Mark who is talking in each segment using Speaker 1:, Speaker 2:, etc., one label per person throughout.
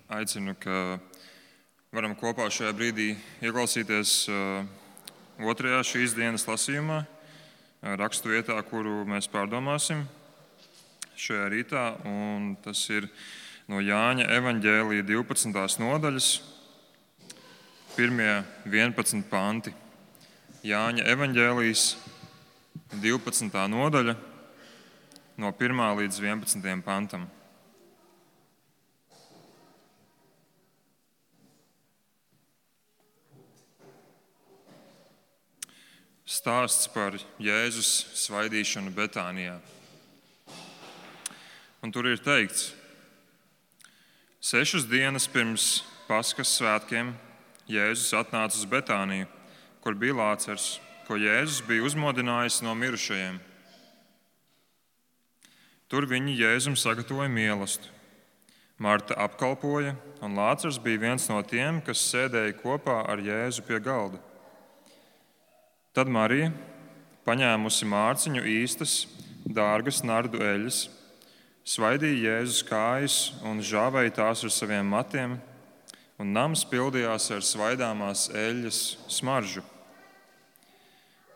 Speaker 1: aicinu, ka varam kopā šajā brīdī ieklausīties otrajā šīs dienas lasījumā, rakstu vietā, kuru mēs pārdomāsim šajā rītā. Un tas ir no Jāņa evaņģēlija 12. nodaļas, 1–11 panti. Jāņa evaņģēlijas 12. nodaļa no 1. līdz 11. pantam. Stāsts par Jēzus svaidīšanu Betānijā. Un tur ir teikts: 6 dienas pirms Paskas svētkiem Jēzus atnāca uz Betāniju, kur bija Lācars, ko Jēzus bija uzmodinājis no mirušajiem. Tur viņi Jēzum sagatavoja mielastu. Marta apkalpoja, un Lācars bija viens no tiem, kas sēdēja kopā ar Jēzu pie galda. Tad Marija, paņēmusi mārciņu īstas, dārgas nardu eļļas, svaidīja Jēzus kājas un žāvēja tās ar saviem matiem, un nams pildījās ar svaidāmās eļļas smaržu.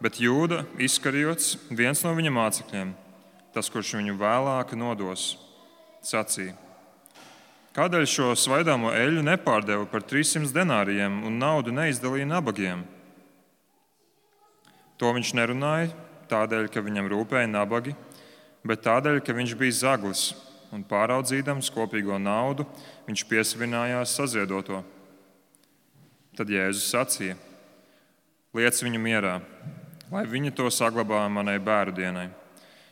Speaker 1: Bet Jūda Iskarijots, viens no viņa mācekļiem, tas, kurš viņu vēlāk nodos, sacīja: kādēļ šo svaidāmo eļļu nepārdeva par 300 denārijiem un naudu neizdalīja nabagiem? To viņš nerunāja tādēļ, ka viņam rūpēja nabagi, bet tādēļ, ka viņš bija zaglis un pāraudzīdams kopīgo naudu, viņš piesavinājās saziedoto. Tad Jēzus sacīja: liec viņu mierā, lai viņi to saglabā manai bēru dienai,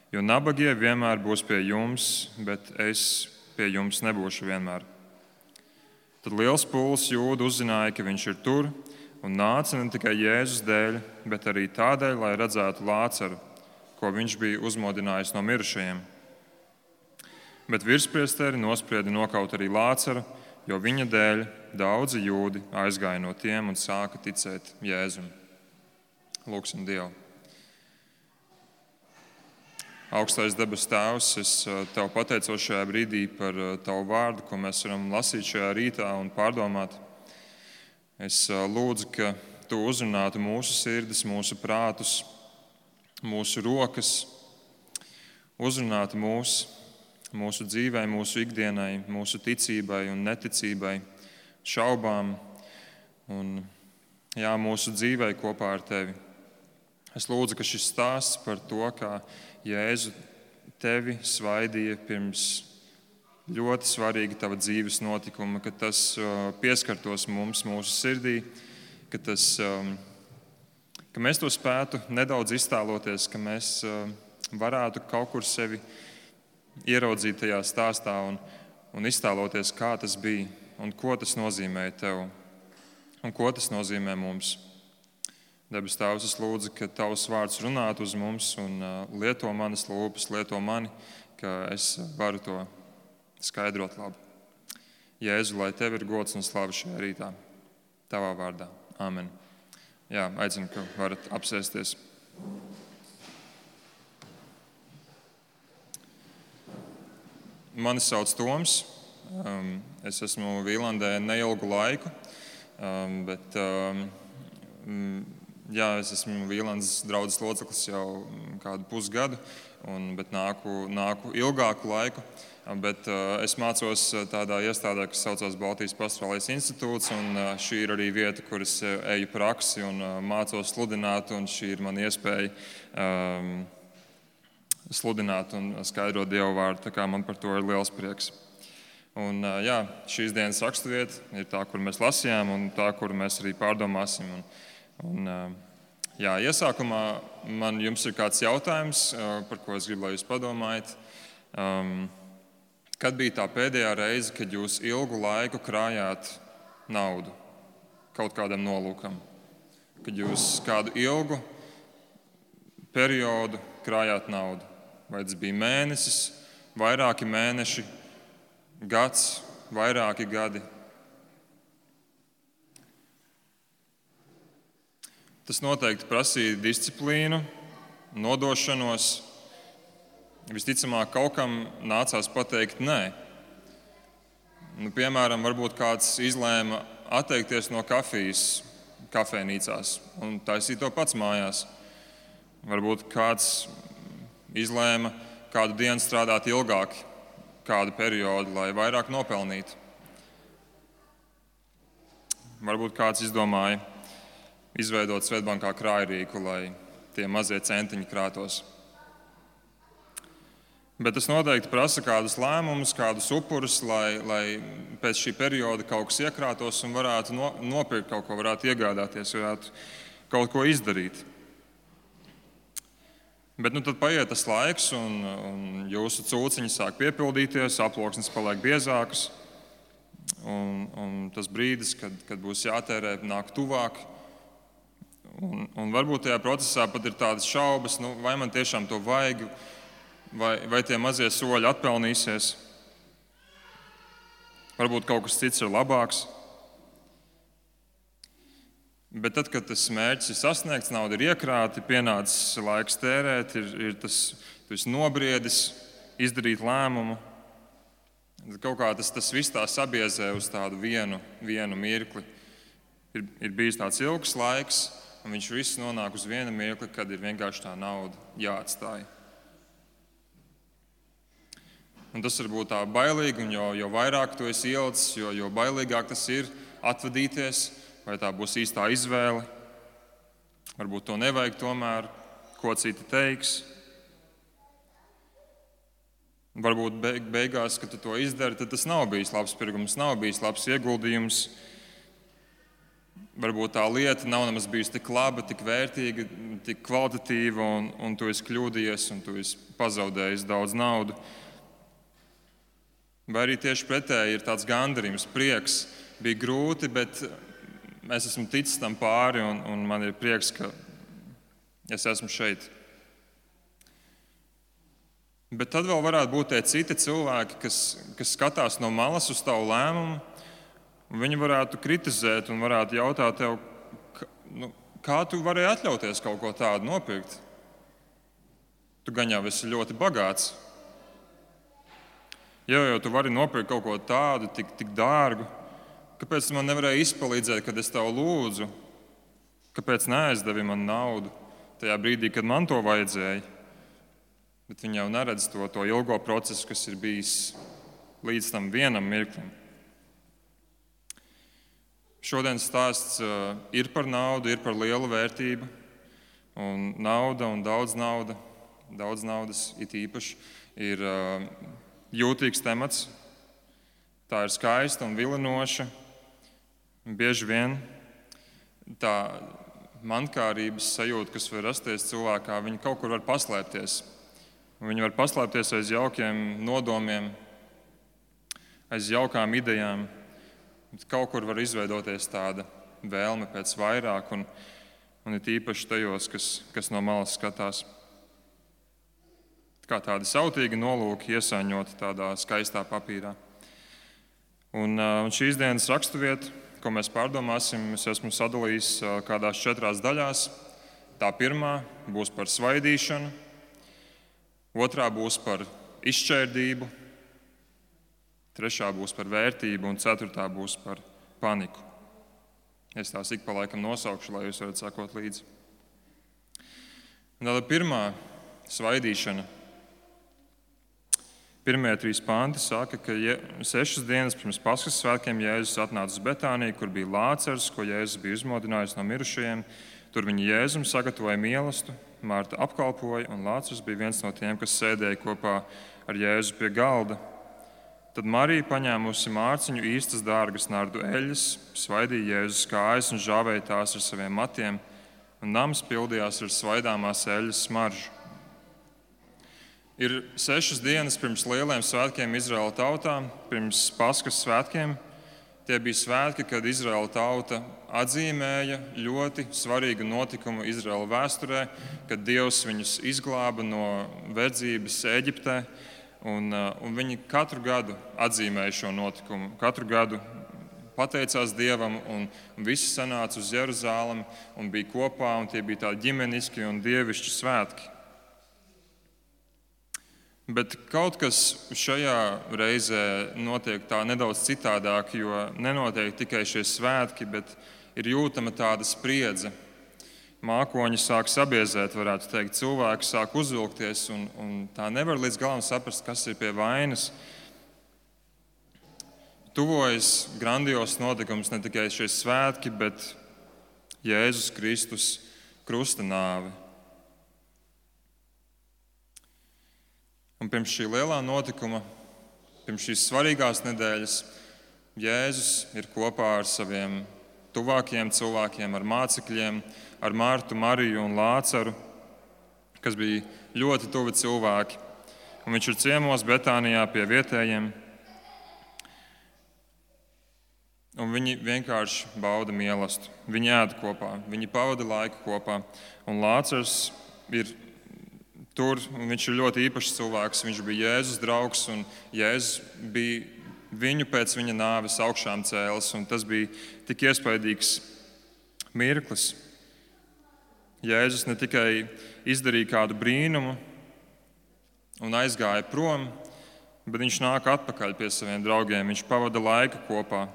Speaker 1: jo nabagie vienmēr būs pie jums, bet es pie jums nebūšu vienmēr. Tad liels pulks jūdu uzzināja, ka viņš ir tur, un nāca ne tikai Jēzus dēļ, bet arī tādēļ, lai redzētu Lācaru, ko viņš bija uzmodinājis no mirušajiem. Bet virspriesteri nosprieda nokaut arī Lācaru, jo viņa dēļ daudzi jūdi aizgāja no tiem un sāka ticēt Jēzum. Lūksim Dievu. Augstais debes Tēvs, es Tev pateicos šajā brīdī par Tavu vārdu, ko mēs varam lasīt šajā rītā un pārdomāt. Es lūdzu, ka Tu uzrunātu mūsu sirdis, mūsu prātus, mūsu rokas, uzrunātu mūsu dzīvei, mūsu ikdienai, mūsu ticībai un neticībai, šaubām un mūsu dzīvei kopā ar Tevi. Es lūdzu, ka šis stāsts par to, kā Jēzu Tevi svaidīja pirms ļoti svarīga Tava dzīves notikuma, ka tas pieskartos mums, mūsu sirdī, ka mēs to spētu nedaudz iztēloties, ka mēs varētu kaut kur sevi ieraudzīt tajā stāstā un iztēloties, kā tas bija un ko tas nozīmēja Tev un ko tas nozīmē mums. Debes Tēvs, es lūdzu, ka Tavs vārds runātu uz mums un lieto manas lūpas, lieto mani, ka es varu to skaidrot labi. Jēzu, lai Tev ir gods un slava šajā rītā. Tavā vārdā. Āmen. Aicinu, ka varat apsēsties. Mani sauc Toms. Es esmu Vīlandē neilgu laiku, bet es esmu Vīlandes draudzes loceklis jau kādu pusgadu, bet nāku ilgāku laiku. Bet es mācos tādā iestādē, kas saucās Baltijas Pastorālais institūts, un šī ir arī vieta, kur es eju praksi un mācos sludināt, un šī ir mana iespēja sludināt un skaidrot Dievu vārdu, tā kā man par to ir liels prieks. Un šīs dienas raksturvieta ir tā, kur mēs lasījām, un tā, kur mēs arī pārdomāsim. Iesākumā man jums ir kāds jautājums, par ko es gribu, lai jūs padomājat. Kad bija tā pēdējā reize, kad jūs ilgu laiku krājāt naudu kaut kādam nolūkam? Kad jūs kādu ilgu periodu krājāt naudu? Vai tas bija mēnesis, vairāki mēneši, gads, vairāki gadi? Tas noteikti prasīja disciplīnu, nodošanos. Visticamāk, kaut kam nācās pateikt nē. Piemēram, varbūt kāds izlēma atteikties no kafijas kafejnīcās un taisīt to pats mājās. Varbūt kāds izlēma kādu dienu strādāt ilgāk, kādu periodu, lai vairāk nopelnītu. Varbūt kāds izdomāja izveidot Svetbankā krājrīku, lai tie mazie centiņi krātos. Bet tas noteikti prasa kādus lēmumus, kādus upurus, lai pēc šī perioda kaut kas iekrātos un varētu nopirkt kaut ko, varētu iegādāties, varētu kaut ko izdarīt. Bet tad paiet tas laiks, un jūsu cūciņi sāk piepildīties, aploksnes paliek biezākas, un tas brīdis, kad būs jātērē, nāk tuvāk. Un varbūt tajā procesā pat ir tādas šaubas, vai man tiešām to vajag, vai tie mazie soļi atpelnīsies. Varbūt kaut kas cits ir labāks. Bet tad, kad tas mērķis ir sasniegts, nauda ir iekrāta, pienācis laiks tērēt, tu esi nobriedis, izdarīt lēmumu. Kaut kā tas viss tā sabiezē uz tādu vienu mirkli. Ir bijis tāds ilgs laiks, un viņš viss nonāk uz vienu mirkli, kad ir vienkārši tā nauda jāatstāj. Un tas var būt tā bailīgi, un jo vairāk tu esi ielicis, jo bailīgāk tas ir atvadīties, vai tā būs īstā izvēle. Varbūt to nevajag tomēr, ko citi teiks. Varbūt beigās, kad tu to izdari, tad tas nav bijis labs pirkums, nav bijis labs ieguldījums. Varbūt tā lieta nav nemaz bijusi tik laba, tik vērtīga, tik kvalitatīva, un tu esi kļūdījies, un tu esi pazaudējis daudz naudu. Vai arī tieši pretēji ir tāds gandarījums, prieks. Bija grūti, bet es esmu ticis tam pāri, un man ir prieks, ka es esmu šeit. Bet tad vēl varētu būt tie citi cilvēki, kas skatās no malas uz tavu lēmumu. Viņi varētu kritizēt un varētu jautāt tev, kā tu varēji atļauties kaut ko tādu nopirkt? Tu gan jau esi ļoti bagāts. Jo tu vari nopirkt kaut ko tādu, tik dārgu. Kāpēc man nevarēja izpalīdzēt, kad es tev lūdzu? Kāpēc neaizdevi man naudu tajā brīdī, kad man to vajadzēja? Bet viņi jau neredz to ilgo procesu, kas ir bijis līdz tam vienam mirklim. Šodienas stāsts ir par naudu, ir par lielu vērtību. Un nauda un daudz naudas it īpaši ir jūtīgs temats. Tā ir skaista un vilinoša. Bieži vien tā mankārības sajūta, kas var rasties cilvēkā, viņa kaut kur var paslēpties. Viņi var paslēpties aiz jaukiem nodomiem, aiz jaukām idejām. Kaut kur var izveidoties tāda vēlme pēc vairāk, un it īpaši tajos, kas no malas skatās. Kā tādi sautīgi nolūki iesaiņoti tādā skaistā papīrā. Un šīs dienas raksturvieta, ko mēs pārdomāsim, es esmu sadalījis kādās 4 daļās. Tā pirmā būs par svaidīšanu, otrā būs par izšķērdību, trešā būs par vērtību un ceturtā būs par paniku. Es tās ik pa laikam nosaukšu, lai jūs varat sekot līdzi. Tāda pirmā svaidīšana. Pirmie 3 panti saka, ka 6 dienas pirms Paskas svētkiem Jēzus atnāca uz Betāniju, kur bija Lācars, ko Jēzus bija uzmodinājis no mirušajiem. Tur viņi Jēzum sagatavoja mielastu, Marta apkalpoja, un Lācars bija viens no tiem, kas sēdēja kopā ar Jēzu pie galda. Tad Marija, paņēmusi mārciņu īstas dārgas nardu eļļas, svaidīja Jēzus kājas un žāvēja tās ar saviem matiem, un nams pildījās ar svaidāmās eļļas smaržu. Ir 6 dienas pirms lieliem svētkiem Izraēla tautā, pirms Paskas svētkiem. Tie bija svētki, kad Izraēla tauta atzīmēja ļoti svarīgu notikumu Izraēla vēsturē, kad Dievs viņus izglāba no verdzības Ēģiptē. Un viņi katru gadu atzīmēja šo notikumu. Katru gadu pateicās Dievam, un visi sanāca uz Jeruzālemi un bija kopā, un tie bija tādi ģimeniski un dievišķi svētki. Bet kaut kas šajā reizē notiek tā nedaudz citādāk, jo nenotiek tikai šie svētki, bet ir jūtama tāda spriedze. Mākoņi sāk sabiezēt, varētu teikt, cilvēki sāk uzvilkties, un tā nevar līdz galam saprast, kas ir pie vainas. Tuvojas grandios notikums, ne tikai šie svētki, bet Jēzus Kristus krusta nāve. Un pirms šī lielā notikuma, pirms šīs svarīgās nedēļas, Jēzus ir kopā ar saviem tuvākajiem cilvēkiem, ar mācekļiem, ar Martu, Mariju un Lācaru, kas bija ļoti tuvi cilvēki. Un viņš ir ciemos Betānijā pie vietējiem. Un viņi vienkārši bauda mīlestību. Viņi ēd kopā, viņi pavada laiku kopā. Un Lācars ir tur, un viņš ir ļoti īpašs cilvēks. Viņš bija Jēzus draugs, un Jēzus bija viņu pēc viņa nāves augšām cēlis. Un tas bija tik iespaidīgs mirklis. Jēzus ne tikai izdarīja kādu brīnumu un aizgāja prom, bet viņš nāk atpakaļ pie saviem draugiem. Viņš pavada laiku kopā.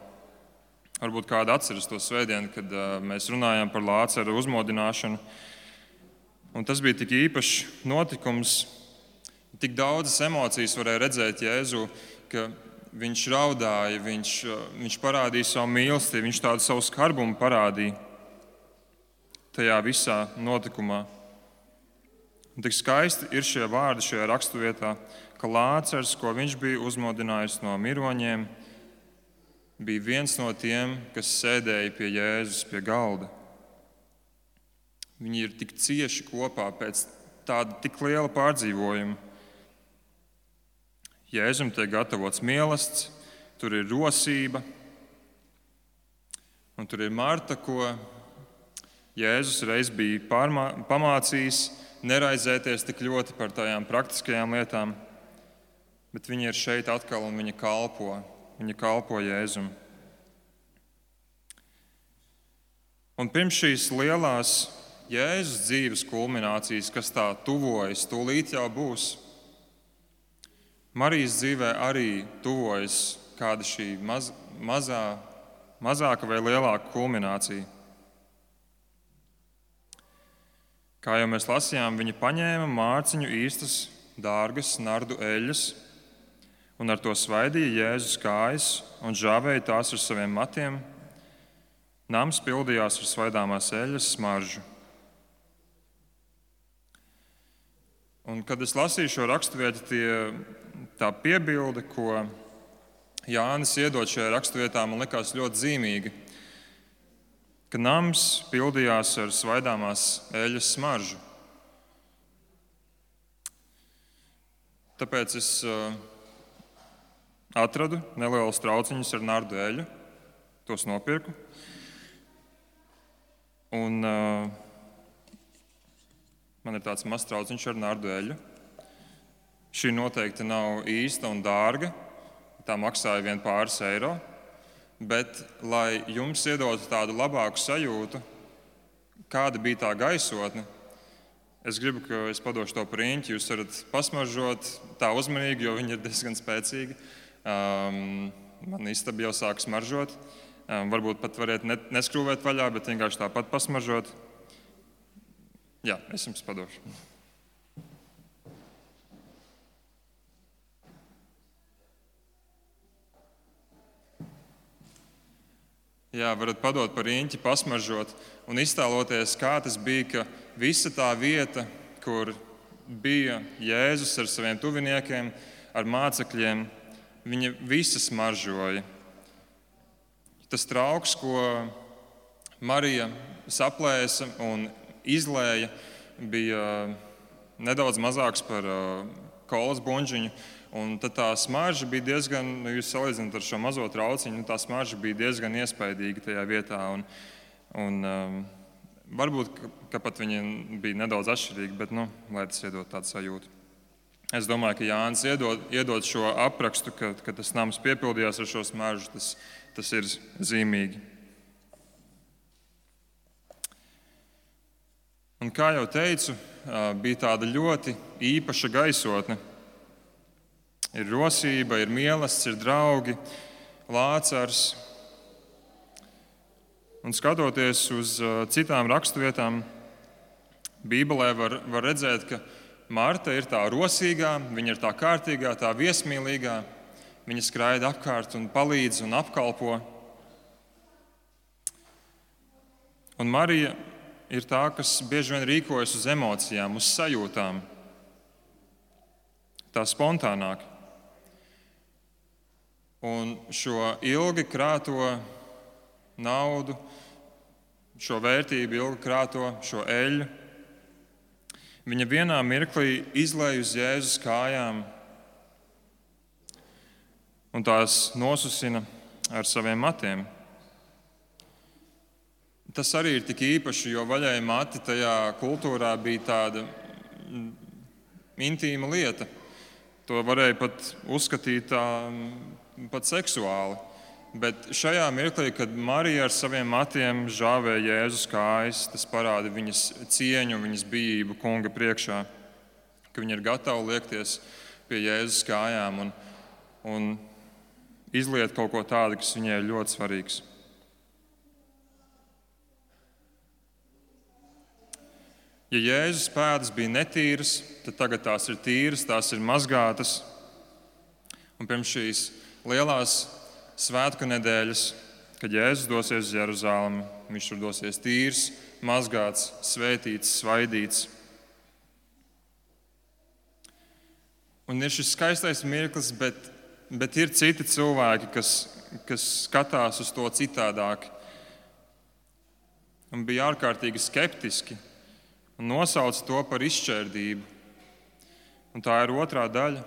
Speaker 1: Varbūt kādi atceras to svētdienu, kad mēs runājām par Lācaru uzmodināšanu. Un tas bija tik īpašs notikums. Tik daudzas emocijas varēja redzēt Jēzu, ka viņš raudāja, viņš parādīja savu mīlestību, viņš tādu savu skarbumu parādīja tajā visā notikumā. Un tik skaisti ir šie vārdi šajā raksturvietā, ka Lācars, ko viņš bija uzmodinājis no miroņiem, bija viens no tiem, kas sēdēja pie Jēzus pie galda. Viņi ir tik cieši kopā pēc tāda tik liela pārdzīvojuma. Jēzum tiek gatavots mīlestības, tur ir rosība, un tur ir Marta, ko Jēzus reiz bija pamācījis neraizēties tik ļoti par tajām praktiskajām lietām, bet viņa ir šeit atkal un viņa kalpo. Viņa kalpo Jēzum. Un pirms šīs lielās Jēzus dzīves kulminācijas, kas tā tuvojas, tūlīt jau būs, Marijas dzīvē arī tuvojas kāda šī mazāka vai lielāka kulminācija. Kā jau mēs lasījām, viņa paņēma mārciņu īstas, dārgas nardu eļļas, un ar to svaidīja Jēzus kājas un žāvēja tās ar saviem matiem. Nams pildījās ar svaidāmās eļļas smaržu. Un, kad es lasīju šo raksturvietu, tā piebilde, ko Jānis iedod šajā raksturvietā, man likās ļoti zīmīga, ka nams pildījās ar svaidāmās eļļas smaržu. Tāpēc es atradu nelielus trauciņus ar nardu eļļu, tos nopirku. Un man ir tāds mazs trauciņš ar nardu eļļu. Šī noteikti nav īsta un dārga, tā maksāja vien pāris eiro, bet, lai jums iedotu tādu labāku sajūtu, kāda bija tā gaisotne, es gribu, ka es padošu to par riņķi, jūs varat pasmaržot tā uzmanīgi, jo viņa ir diezgan spēcīga. Man istaba jau sāk smaržot. Varbūt pat variet neskrūvēt vaļā, bet vienkārši tāpat pasmaržot. Jā, es jums padošu. Jā, varat padot par riņķi, pasmaržot un iztēloties, kā tas bija, ka visa tā vieta, kur bija Jēzus ar saviem tuviniekiem, ar mācekļiem, viņa visa smaržoja. Tas trauks, ko Marija saplēsa un izlēja, bija nedaudz mazāks par kolas buņģiņu. Un tad tā smarža bija diezgan, jūs salīdzināt ar šo mazo trauciņu, tā smarža bija diezgan iespaidīga tajā vietā. Varbūt, ka pat viņa bija nedaudz atšķirīga, bet lai tas iedod tādu sajūtu. Es domāju, ka Jānis iedod šo aprakstu, ka tas nams piepildījās ar šo smaržu, tas ir zīmīgi. Un kā jau teicu, bija tāda ļoti īpaša gaisotne. Ir rosība, ir mīlestības, ir draugi, Lācars. Un skatoties uz citām raksturvietām, Bībelē var redzēt, ka Marta ir tā rosīgā, viņa ir tā kārtīgā, tā viesmīlīgā. Viņa skraida apkārt un palīdz un apkalpo. Un Marija ir tā, kas bieži vien rīkojas uz emocijām, uz sajūtām. Tā spontānāk. Un šo ilgi krāto naudu, šo vērtību, ilgi krāto šo eļļu, viņa vienā mirklī izlej uz Jēzus kājām un tās nosusina ar saviem matiem. Tas arī ir tik īpaši, jo vaļēji mati tajā kultūrā bija tāda intīma lieta. To varēja pat uzskatīt pat seksuāli. Bet šajā mirklī, kad Marija ar saviem matiem žāvēja Jēzus kājas, tas parāda viņas cieņu, viņas bijību kunga priekšā, ka viņa ir gatava liekties pie Jēzus kājām un izliet kaut ko tādu, kas viņai ir ļoti svarīgs. Ja Jēzus pēdas bija netīras, tad tagad tās ir tīras, tās ir mazgātas. Un pirms šīs lielās svētku nedēļas, kad Jēzus dosies uz Jeruzalemi, viņš tur dosies tīrs, mazgāts, svētīts, svaidīts. Un ir šis skaistais mirklis, bet ir citi cilvēki, kas skatās uz to citādāk un bija ārkārtīgi skeptiski un nosauca to par izšķērdību. Un tā ir otrā daļa.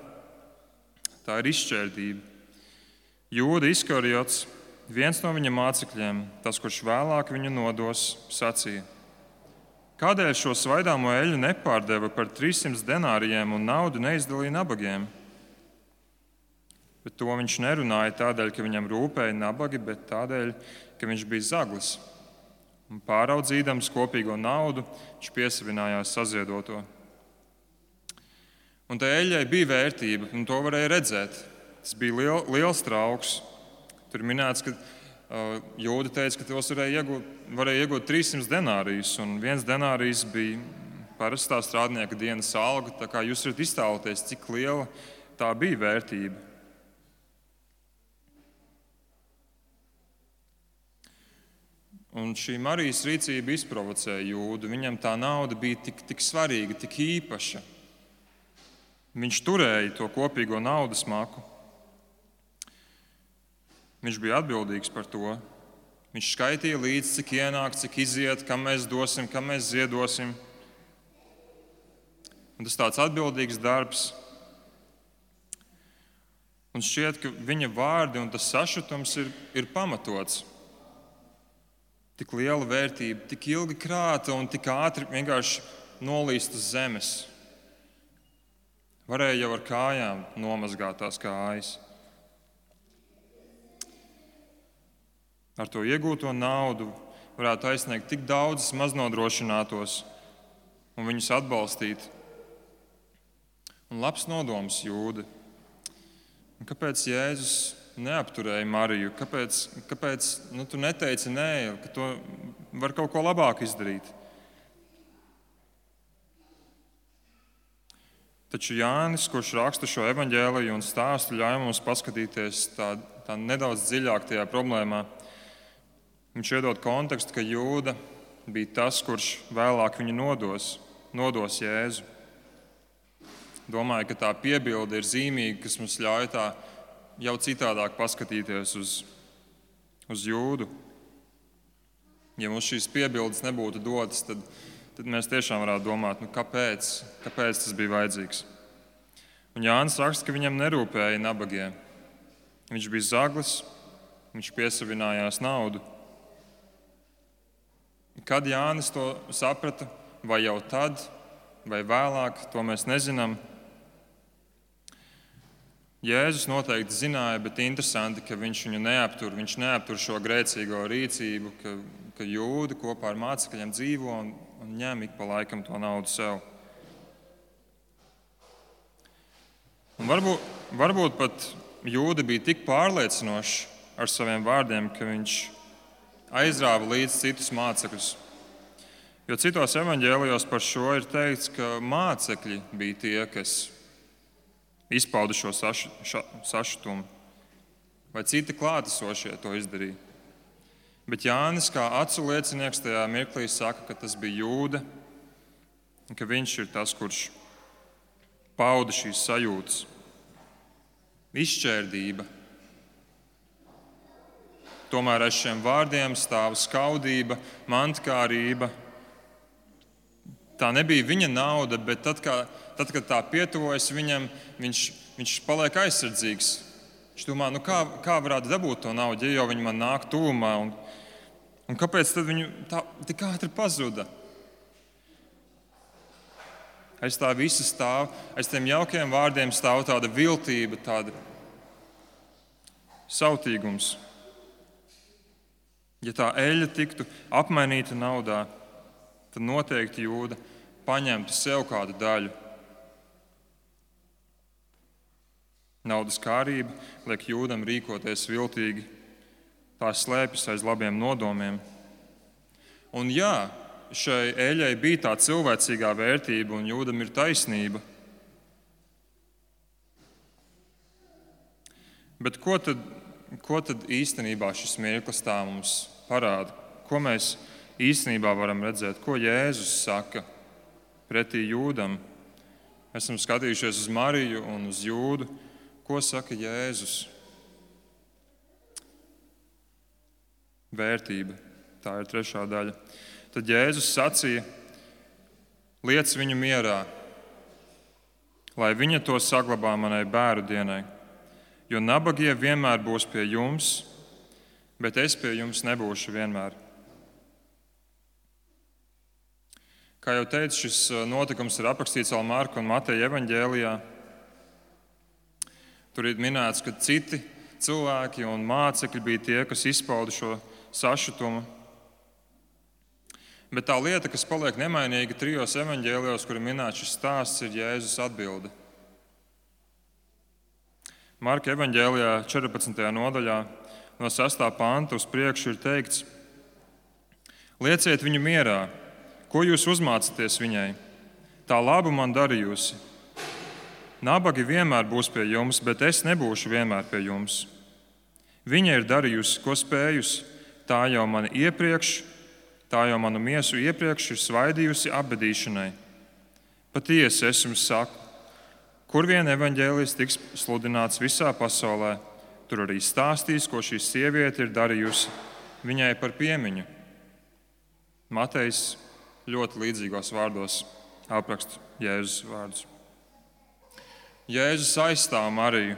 Speaker 1: Tā ir izšķērdība. Jūda Iskarijots, viens no viņa mācekļiem, tas, kurš vēlāk viņu nodos, sacīja: kādēļ šo svaidāmo eļļu nepārdeva par 300 denārijiem un naudu neizdalīja nabagiem? Bet to viņš nerunāja tādēļ, ka viņam rūpēja nabagi, bet tādēļ, ka viņš bija zaglis. Un pāraudzīdams kopīgo naudu, viņš piesavinājās saziedoto. Un tai eļļai bija vērtība, un to varēja redzēt. Tas bija liels trauks. Tur minēts, ka Jūda teica, ka tos varēja iegūt 300 denārijus, un viens denārijs bija parastā strādnieka dienas alga. Tā kā jūs varat iztēloties, cik liela tā bija vērtība. Un šī Marijas rīcība izprovocēja Jūdu. Viņam tā nauda bija tik svarīga, tik īpaša. Viņš turēja to kopīgo naudas maku. Viņš bija atbildīgs par to. Viņš skaitīja līdzi, cik ienāk, cik iziet, kam mēs dosim, kam mēs ziedosim. Un tas tāds atbildīgs darbs. Un šķiet, ka viņa vārdi un tas sašutums ir pamatots. Tik liela vērtība, tik ilgi krāta un tik ātri vienkārši nolīst uz zemes. Varēja jau ar kājām nomazgāt tās kājas. Ar to iegūto naudu varētu aizsniegt tik daudzus maznodrošinātos un viņus atbalstīt. Un labs nodoms Jūda. Un kāpēc Jēzus neapturēja Mariju? Kāpēc tu neteici nē, ka to var kaut ko labāk izdarīt? Taču Jānis, kurš raksta šo evaņģēliju un stāstu, ļauj mums paskatīties tā nedaudz dziļāk tajā problēmā. Viņš iedod kontekstu, ka Jūda bija tas, kurš vēlāk viņu nodos Jēzu. Domāju, ka tā piebilde ir zīmīga, kas mums ļauj tā jau citādāk paskatīties uz Jūdu. Ja mums šīs piebildes nebūtu dotas, tad mēs tiešām varētu domāt, kāpēc tas bija vajadzīgs. Un Jānis raksta, ka viņam nerūpēja nabagie. Viņš bija zaglis, viņš piesavinājās naudu. Kad Jānis to saprata, vai jau tad, vai vēlāk, to mēs nezinām. Jēzus noteikti zināja, bet interesanti, ka viņš viņu neaptur. Viņš neaptur šo grēcīgo rīcību, ka Jūda kopā ar mācekļiem dzīvo un ņem ik pa laikam to naudu sev. Un varbūt varbūt pat Jūda bija tik pārliecinošs ar saviem vārdiem, ka viņš aizrāva līdz citus mācekļus. Jo citos evaņģēlijos par šo ir teikts, ka mācekļi bija tie, kas izpauda šo sašutumu, vai citi klātesošie to izdarīja. Bet Jānis, kā acu liecinieks, tajā mirklī saka, ka tas bija Jūda, un ka viņš ir tas, kurš pauda šīs sajūtas. Izšķērdība. Tomēr aiz šiem vārdiem stāv skaudība, mantkārība. Tā nebija viņa nauda, bet tad, kad tā pietuvojas viņam, viņš paliek aizsardzīgs. Viņš domā, kā varētu dabūt to naudu, ja jau viņi man nāk tuvumā, un kāpēc tad viņu tā tik ātri pazuda? Aiz tā visa stāv, aiz tiem jaukiem vārdiem stāv tāda viltība, tāda sautīgums. Ja tā eļļa tiktu apmainīta naudā, tad noteikti Jūda paņemtu sev kādu daļu. Naudas kārība liek Jūdam rīkoties viltīgi, tā slēpjas aiz labiem nodomiem. Un jā, šai eļļai bija tā cilvēcīgā vērtība, un Jūdam ir taisnība. Bet ko tad īstenībā šis mirklis tā mums parāda? Ko mēs īstenībā varam redzēt? Ko Jēzus saka pretī Jūdam? Esam skatījušies uz Mariju un uz Jūdu. Ko saka Jēzus? Vērtība. Tā ir trešā daļa. Tad Jēzus sacīja: liec viņu mierā, lai viņa to saglabā manai bēru dienai, jo nabagie vienmēr būs pie jums, bet es pie jums nebūšu vienmēr. Kā jau teicu, šis notikums ir aprakstīts vēl Marka un Mateja evaņģēlijā. Tur ir minēts, ka citi cilvēki un mācekļi bija tie, kas izpauda šo sašutumu. Bet tā lieta, kas paliek nemainīga trijos evaņģēlijos, kur ir minēts šis stāsts, ir Jēzus atbilde. Marka evaņģēlijā 14. nodaļā no 6. panta uz priekšu ir teikts: lieciet viņu mierā, ko jūs uzmācaties viņai? Tā labu man darījusi. Nabagi vienmēr būs pie jums, bet es nebūšu vienmēr pie jums. Viņa ir darījusi, ko spējusi. Tā jau manu miesu iepriekš ir svaidījusi apbedīšanai. Patiesi es jums saku, kur vien evaņģēlijs tiks sludināts visā pasaulē, tur arī stāstīs, ko šī sieviete ir darījusi viņai par piemiņu. Matejs ļoti līdzīgos vārdos apraksta Jēzus vārdus. Jēzus aizstāv Mariju,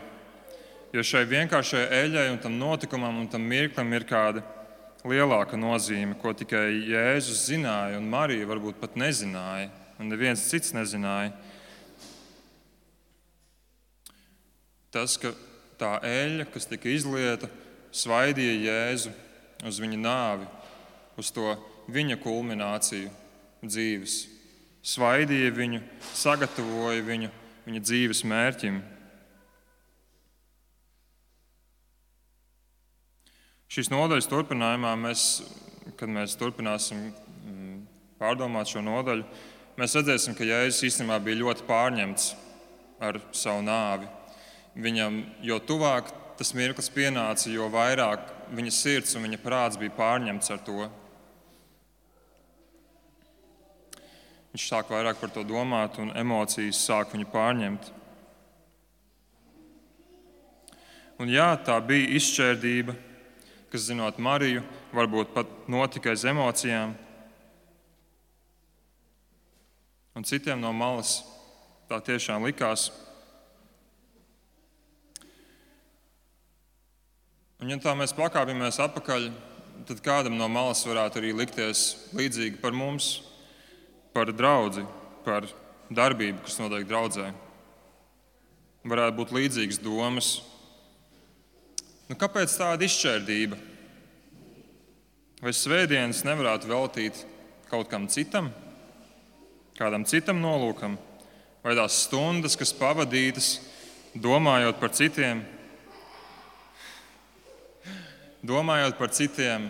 Speaker 1: jo šai vienkāršai eļļai un tam notikumam un tam mirklim ir kāda lielāka nozīme, ko tikai Jēzus zināja, un Marija varbūt pat nezināja, un neviens cits nezināja. Tas, ka tā eļļa, kas tika izlieta, svaidīja Jēzu uz viņa nāvi, uz to viņa kulmināciju dzīves. Svaidīja viņu, sagatavoja viņu viņa dzīves mērķim. Šīs nodaļas turpinājumā, kad mēs turpināsim pārdomāt šo nodaļu, mēs redzēsim, ka Jēzus īstenībā bija ļoti pārņemts ar savu nāvi. Viņam, jo tuvāk tas mirklis pienāca, jo vairāk viņa sirds un viņa prāts bija pārņemts ar to. Viņš sāk vairāk par to domāt, un emocijas sāk viņu pārņemt. Un jā, tā bija izšķērdība, kas, zinot Mariju, varbūt pat notika aiz emocijām. Un citiem no malas tā tiešām likās. Un ja tā mēs pakāpjamies atpakaļ, tad kādam no malas varētu arī likties līdzīgi par mums, par draudzi, par darbību, kas notiek draudzē. Varētu būt līdzīgas domas. Kāpēc tāda izšķērdība? Vai svētdienas nevarētu veltīt kaut kam citam, kādam citam nolūkam? Vai tās stundas, kas pavadītas domājot par citiem,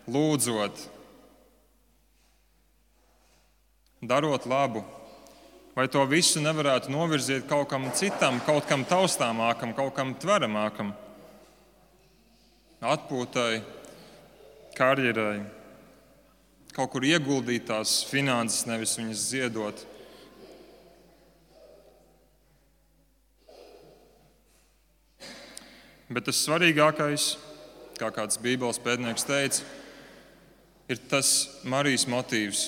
Speaker 1: lūdzot, darot labu, vai to visu nevarētu novirzīt kaut kam citam, kaut kam taustāmākam, kaut kam tveramākam, atpūtai, karjerai, kaut kur ieguldīt tās finanses, nevis viņas ziedot. Bet tas svarīgākais, kā kāds Bībeles pētnieks teica, ir tas Marijas motīvs.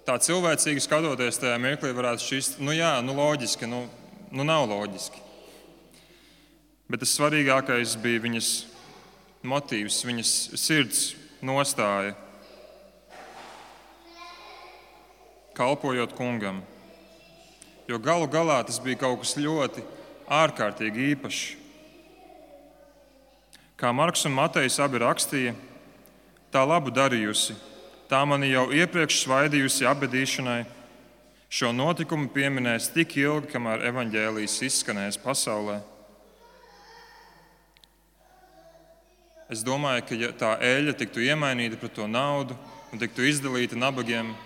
Speaker 1: Tā cilvēcīgi skatoties tajā mirklī varētu šķist, loģiski, nav loģiski. Bet tas svarīgākais bija viņas motīvs, viņas sirds nostāja, kalpojot kungam. Jo galu galā tas bija kaut kas ļoti ārkārtīgi īpašs. Kā Marks un Matejs abi rakstīja, tā labu darījusi, tā mani jau iepriekš svaidījusi apbedīšanai, šo notikumu pieminēs tik ilgi, kamēr evaņģēlijs izskanēs pasaulē. Es domāju, ka ja tā eļļa tiktu iemainīta pret to naudu un tiktu izdalīta nabagiem,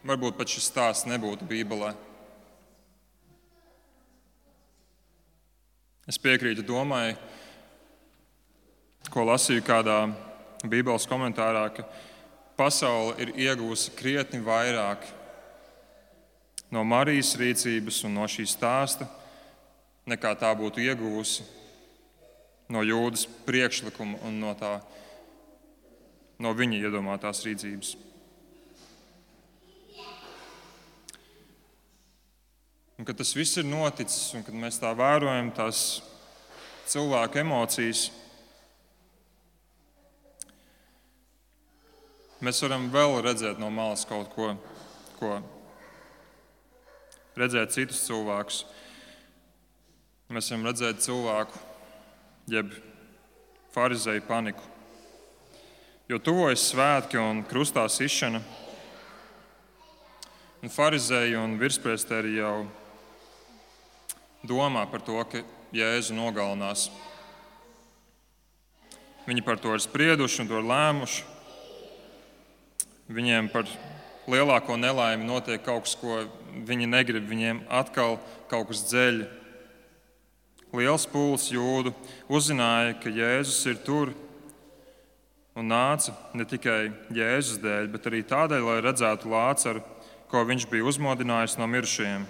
Speaker 1: varbūt pat šis stāsts nebūtu Bībelē. Es piekrītu domai, ko lasīju kādā Bībeles komentārā, ka pasaule ir iegūsi krietni vairāk no Marijas rīcības un no šī stāsta, nekā tā būtu ieguvusi no Jūdas priekšlikuma un no viņa iedomātās rīcības. Un, kad tas viss ir noticis, un kad mēs tā vērojam tās cilvēku emocijas, mēs varam vēl redzēt no malas kaut ko redzēt citus cilvēkus. Mēs varam redzēt cilvēku, jeb farizeju paniku. Jo tuvojas svētki un krustā sišana, un farizeji un virspriesteri jau domā par to, ka Jēzu nogalinās. Viņi par to ir sprieduši un to ir lēmuši. Viņiem par lielāko nelaimi notiek kaut kas, ko viņi negrib. Viņiem atkal kaut kas dzeļ. Liels pulks jūdu uzzināja, ka Jēzus ir tur un nāca ne tikai Jēzus dēļ, bet arī tādēļ, lai redzētu Lācaru, ko viņš bija uzmodinājis no mirušajiem.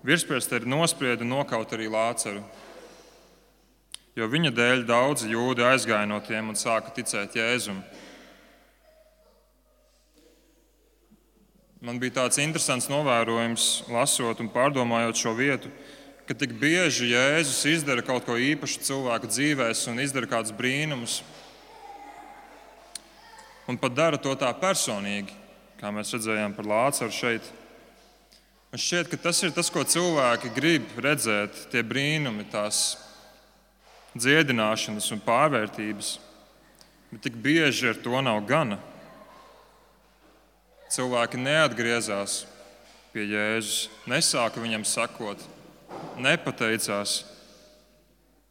Speaker 1: Virspriesteri nosprieda nokaut arī Lācaru, jo viņa dēļ daudzi jūdi aizgāja no tiem un sāka ticēt Jēzum. Man bija tāds interesants novērojums, lasot un pārdomājot šo vietu, ka tik bieži Jēzus izdara kaut ko īpašu cilvēku dzīvēs un izdara kādus brīnumus. Un pat dara to tā personīgi, kā mēs redzējām par Lācaru šeit. Man šķiet, ka tas ir tas, ko cilvēki grib redzēt, tie brīnumi, tās dziedināšanas un pārvērtības. Bet tik bieži ar to nav gana. Cilvēki neatgriezās pie Jēzus, nesāka viņam sakot, nepateicās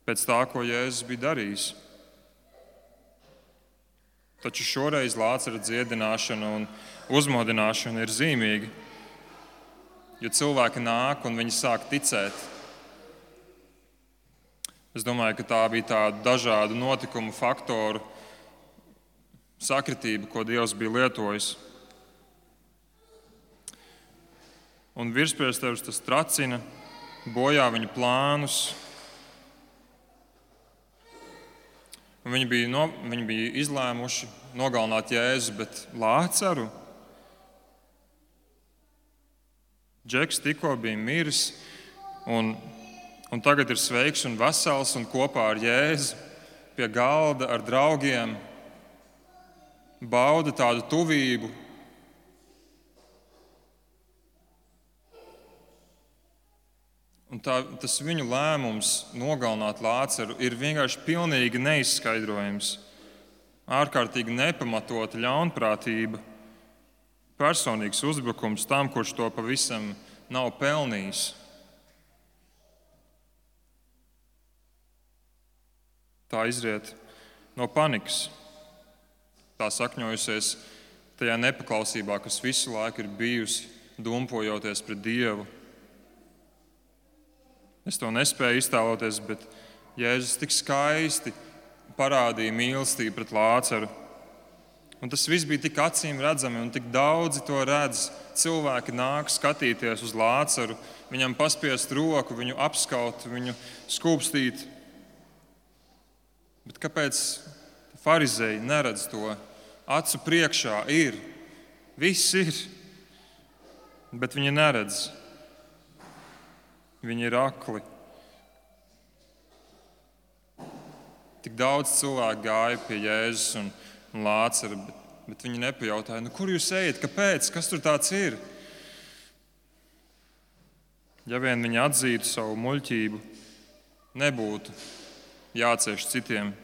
Speaker 1: pēc tā, ko Jēzus bija darījis. Taču šoreiz Lācara dziedināšana un uzmodināšana ir zīmīga, jo cilvēki nāk un viņi sāk ticēt. Es domāju, ka tā bija tāda dažādu notikumu faktoru sakritība, ko Dievs bija lietojis. Un virspriesteris tas tracina, bojā viņa plānus. Un viņi bija izlēmuši nogalināt Jēzu, bet Lācaru Džeks tikko bija miris un tagad ir sveiks un vesels un kopā ar Jēzu pie galda ar draugiem bauda tādu tuvību. Un tas viņu lēmums nogalināt Lācaru ir vienkārši pilnīgi neizskaidrojams, ārkārtīgi nepamatota ļaunprātība, personīgs uzbrukums tam, kurš to pavisam nav pelnījis. Tā izriet no panikas. Tā sakņojusies tajā nepaklausībā, kas visu laiku ir bijusi, dumpojoties pret Dievu. Es to nespēju iztēloties, bet Jēzus tik skaisti parādīja mīlestību pret Lācaru. Un tas viss bija tik acīm redzami, un tik daudzi to redz. Cilvēki nāk skatīties uz Lācaru, viņam paspiest roku, viņu apskaut, viņu skūpstīt. Bet kāpēc farizeji neredz to? Acu priekšā ir, viss ir, bet viņi neredz. Viņi ir akli. Tik daudz cilvēku gāja pie Jēzus un Lācara, bet viņi nepajautāja, kur jūs ejat, kāpēc, kas tur tāds ir? Ja vien viņi atzītu savu muļķību, nebūtu jācieš citiem.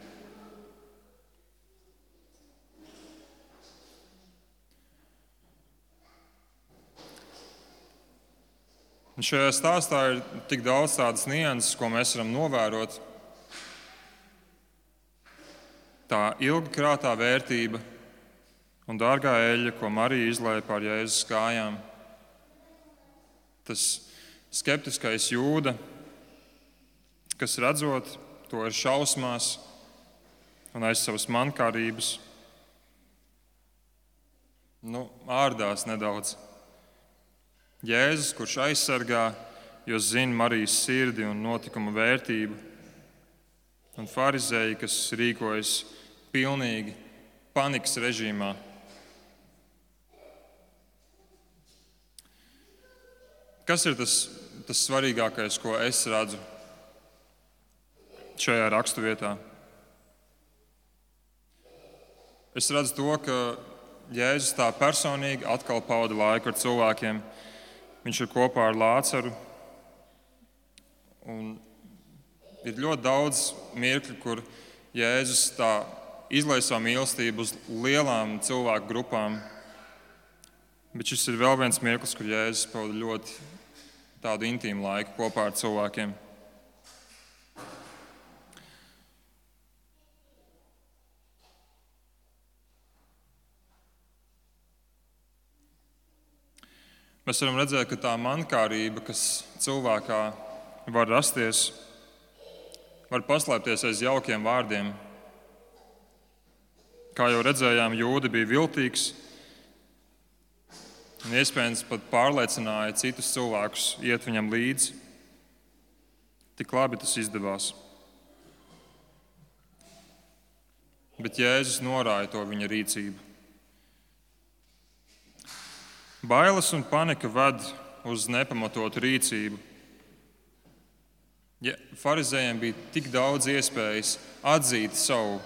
Speaker 1: Un šajā stāstā ir tik daudz tādas nianses, ko mēs varam novērot. Tā ilgkrātā vērtība un dārgā eļļa, ko Marija izlēja pār Jēzus kājām. Tas skeptiskais jūda, kas redzot to ir šausmās un aiz savas mankārības, ārdās nedaudz. Jēzus, kurš aizsargā, jo zina Marijas sirdi un notikuma vērtību, un farizēji, kas rīkojas pilnīgi panikas režīmā. Kas ir tas svarīgākais, ko es redzu šajā raksturvietā? Es redzu to, ka Jēzus tā personīgi atkal pavada laiku ar cilvēkiem. Viņš ir kopā ar Lācaru. Un ir ļoti daudz mirkļu, kur Jēzus tā izlaiž savu mīlestību uz lielām cilvēku grupām. Bet šis ir vēl viens mirklis, kur Jēzus pavada ļoti tādu intīmu laiku kopā ar cilvēkiem. Mēs varam redzēt, ka tā mankārība, kas cilvēkā var rasties, var paslēpties aiz jaukiem vārdiem. Kā jau redzējām, jūda bija viltīgs un iespējams pat pārliecināja citus cilvēkus iet viņam līdzi. Tik labi tas izdevās. Bet Jēzus norāja to viņa rīcību. Bailes un panika ved uz nepamatotu rīcību. Ja farizējiem bija tik daudz iespējas atzīt savu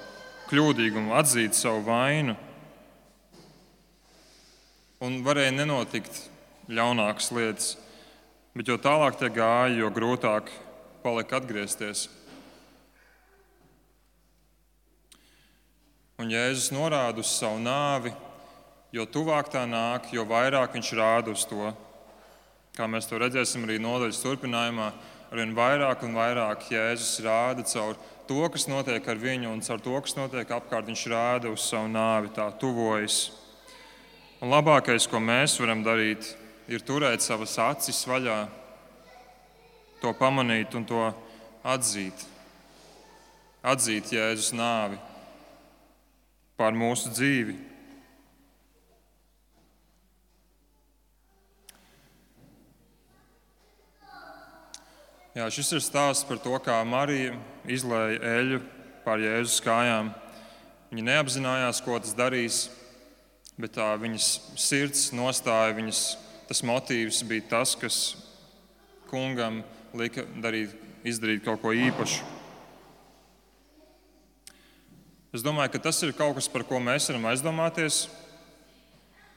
Speaker 1: kļūdīgumu, atzīt savu vainu, un varēja nenotikt ļaunākas lietas, bet jo tālāk tie gāja, jo grūtāk palika atgriezties. Un Jēzus norāda uz savu nāvi. Jo tuvāk tā nāk, jo vairāk viņš rāda uz to. Kā mēs to redzēsim arī nodaļas turpinājumā, arvien vairāk un vairāk Jēzus rāda caur to, kas notiek ar viņu, un caur to, kas notiek apkārt, viņš rāda uz savu nāvi, tā tuvojas. Un labākais, ko mēs varam darīt, ir turēt savas acis vaļā, to pamanīt un to atzīt. Atzīt Jēzus nāvi pār mūsu dzīvi. Jā, šis ir stāsts par to, kā Marija izlēja eļļu pār Jēzus kājām. Viņa neapzinājās, ko tas darīs, bet tā viņas sirds nostāja, tas motīvs bija tas, kas kungam lika izdarīt kaut ko īpašu. Es domāju, ka tas ir kaut kas, par ko mēs varam aizdomāties.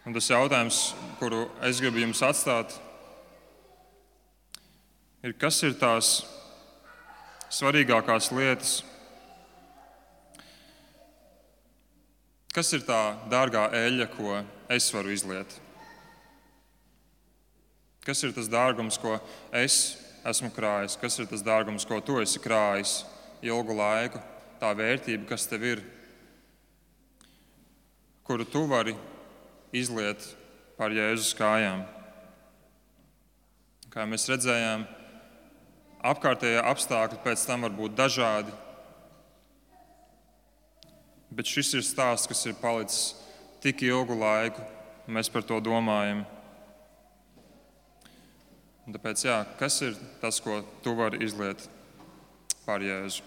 Speaker 1: Un tas jautājums, kuru es gribu jums atstāt, ir, kas ir tās svarīgākās lietas, kas ir tā dārgā eļļa, ko es varu izliet? Kas ir tas dārgums, ko es esmu krājis? Kas ir tas dārgums, ko tu esi krājis ilgu laiku? Tā vērtība, kas tev ir, kuru tu vari izliet pār Jēzus kājām. Kā mēs redzējām, apkārtējie apstākļi pēc tam var būt dažādi, bet šis ir stāsts, kas ir palicis tik ilgu laiku, mēs par to domājam. Un tāpēc, kas ir tas, ko tu vari izliet pār Jēzu?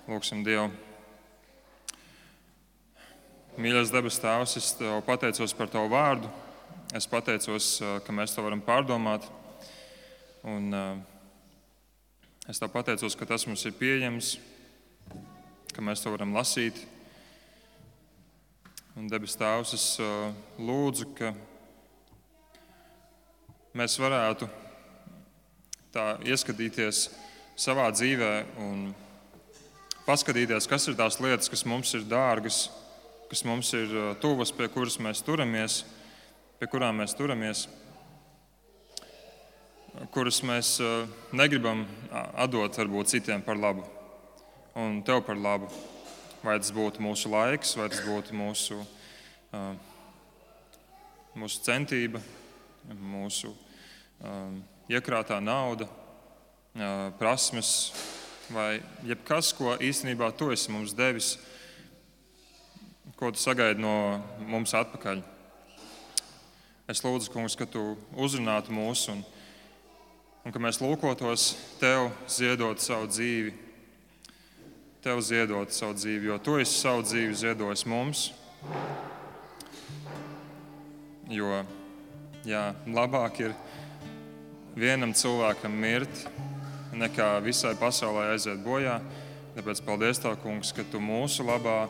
Speaker 1: Lūksim Dievu. Mīļais debes Tēvs, es Tev pateicos par Tavu vārdu. Es pateicos, ka mēs to varam pārdomāt. Un es Tev pateicos, ka tas mums ir pieejams, ka mēs to varam lasīt. Un debes Tēvs, es lūdzu, ka mēs varētu tā ieskatīties savā dzīvē un paskatīties, kas ir tās lietas, kas mums ir dārgas, kas mums ir tuvas, pie kurām mēs turamies, kuras mēs negribam atdot varbūt citiem par labu un Tev par labu. Vai tas būtu mūsu laiks, vai tas būtu mūsu centība, mūsu iekrātā nauda, prasmes, vai jebkas, ko īstenībā Tu esi mums devis, ko Tu sagaidi no mums atpakaļ. Es lūdzu, Kungs, ka Tu uzrunātu mūs un ka mēs lūkotos Tev ziedot savu dzīvi. Tev ziedot savu dzīvi, jo Tu esi savu dzīvi ziedojis mums. Jo, labāk ir vienam cilvēkam mirt, nekā visai pasaulē aiziet bojā. Tāpēc paldies Tev, Kungs, ka Tu mūsu labā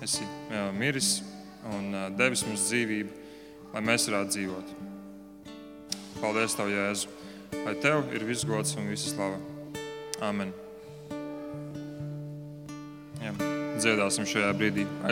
Speaker 1: esi miris un devis mums dzīvību, lai mēs varētu dzīvot. Paldies Tev, Jēzu, lai Tev ir viss gods un visa slava. Amen. Dziedāsim šajā brīdī.